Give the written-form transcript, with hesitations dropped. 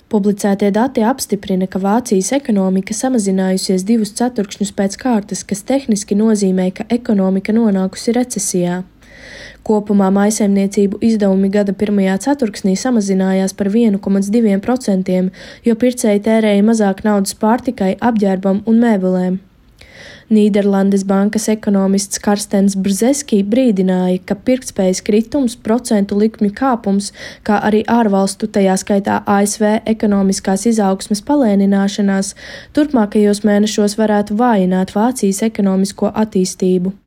Publicētie dati apstiprina, ka Vācijas ekonomika samazinājusies 2 ceturkšņus pēc kārtas, kas tehniski nozīmē, ka ekonomika nonākusi recesijā. Kopumā mājsaimniecību izdevumi gada pirmajā ceturksnī samazinājās par 1,2%, jo pircēji tērēja mazāk naudas pārtikai, apģērbam un mēbelēm. Nīderlandes bankas ekonomists Karstens Brzeski brīdināja, ka pirktspējas kritums, procentu likmju kāpums, kā arī ārvalstu, tajā skaitā ASV ekonomiskās izaugsmes palēnināšanās, turpmākajos mēnešos varētu vājināt Vācijas ekonomisko attīstību.